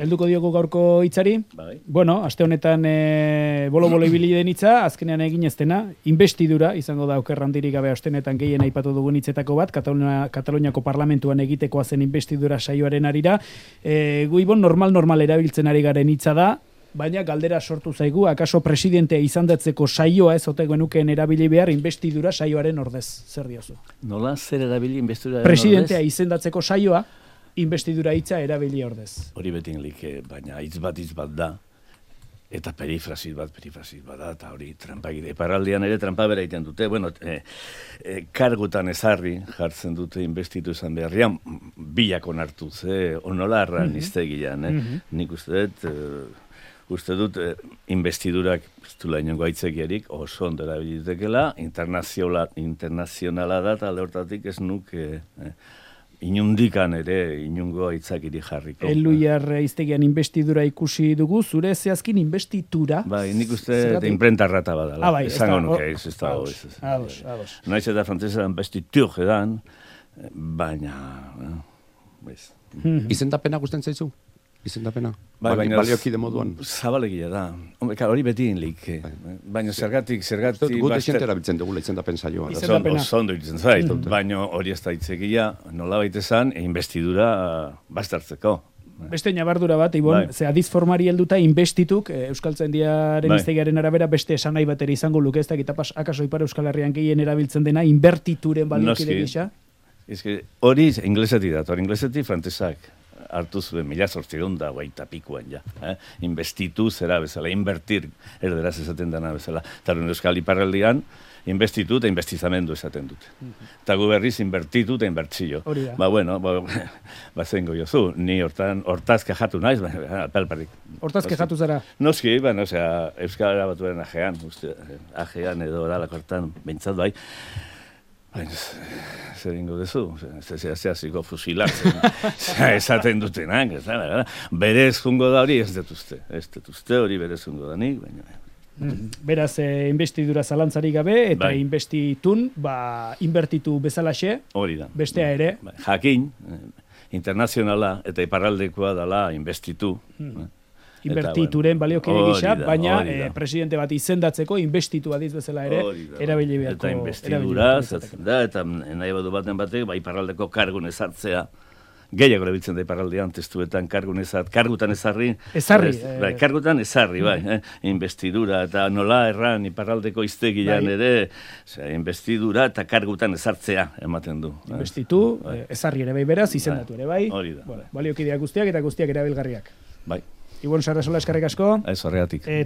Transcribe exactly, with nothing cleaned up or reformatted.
helduko diogu gaurko hitzari. Bai. Bueno, aste honetan e, bolo-bolo ibili den hitza, azkenean egin ez dena, investidura, izango da oker handirik gabe aste honetan gehien aipatu dugun hitzetako bat, Katalunia, Kataluniako parlamentuan egitekoa zen investidura saioaren arira. E, Guibon, normal-normal erabiltzen ari garen hitza da, baina galdera sortu zaigu, akaso presidentea izandatzeko saioa ez ote genukeen erabili behar investidura saioaren ordez. Zer diozu? Nola zer erabili investidura ordez? Presidentea izendatzeko saioa, investidura hitza erabili ordez. Hori betin like, baina hitz bat hitz bat da, eta perifrasit bat, perifrasit bat da, eta hori trampa gire. Paraldian ere trampa bera egiten dute, bueno, e, e, kargutan ezarri jartzen dute investitu izan beharrian, bilako nartuz, eh, onola arra mm-hmm. niztegian, eh? Mm-hmm. Nik uste dut, e, uste dut, e, investidurak, ez du lainongo aitzekiarik, oso ondo erabilitekela, internazionala, internazionala da, eta alde hortatik ez nuke... E, inundikan ere, inungo aitzakiri jarriko. Eluiar iztegian investidura ikusi dugu, zure zehazkin investitura. Bai, nik uste imprenta rata badala. Ah, bai, esango nuke, ez ez da hori. Ados, ados. Naiz eta frantzesean investitur edan, baina... Bez. Izendapena gusten zaizu? Izendapena? Bai, baina baliokide moduan. Zabalegia da. Hombre, hori beti inlik. Baina zergatik, zergatik... Gute xentera bitzen dugula izendapen saioa. Oso ondo itzen zait. Baina hori ez da itzekia, nola baita esan, investidura bastartzeko. Beste nabardura bat, Ibon, ze adiz formari helduta investituk, Euskaltzaindiaren iztegiaren arabera beste esan nahi batera izango luke, ez da, eta akaso Ipar Euskal Herrian gehien erabiltzen dena, inbertituren baliokide gisa? Hori inglesetik dat, hori inglesetik frantzesak hartu zuen mila zortziehun da guaita pikuan ja. Eh? Investitu zera bezala, invertir, erderaz esaten dena bezala. Eta Euskal Iparraldian, investitu eta investizamendu esaten dute. Eta gu berriz invertitu eta inbertzio. Ba, bueno, ba, ba zengo jozu, ni hortan, hortaz kajatu naiz, ba, apelparik. Hortaz kajatu zara? Noski, ba, no, osea, Euskal Batuaren ajean, uste, ajean edo oralak hortan, behintzat bai, baina, zer ingo dezu, zehaziko fusilatzen, esaten dutenak, berez jungo da hori ez detuzte, ez detuzte hori berez jungo da nik, baina... Beraz, investidura zalantzari gabe, eta investitun, ba, inbertitu bezalaxe, hori da. Bestea ere. Jakin, internazionala eta iparraldekoa dela investitu, inbertituren baliokide gisa, baina eh, presidente bat izendatzeko investitu adiz bezala ere erabili beharko. Eta investidura, da, eta nahi badu baten batek, ba, iparraldeko kargun ezartzea, gehiago erabiltzen da iparraldean testuetan kargun ezart, kargutan ezarri. Ezarri. Ez, bai, kargutan ezarri, bai, eh, investidura, eta nola erran iparraldeko iztegian bai. Ere, osea, investidura eta kargutan ezartzea ematen du. Investitu, bai. Ezarri ere bai beraz, izendatu ere bai. Hori da. Bueno, baliokideak guztiak eta guztiak erabilgarriak. Bai. Ibon Sarrasola eskerrik asko. Ez horregatik.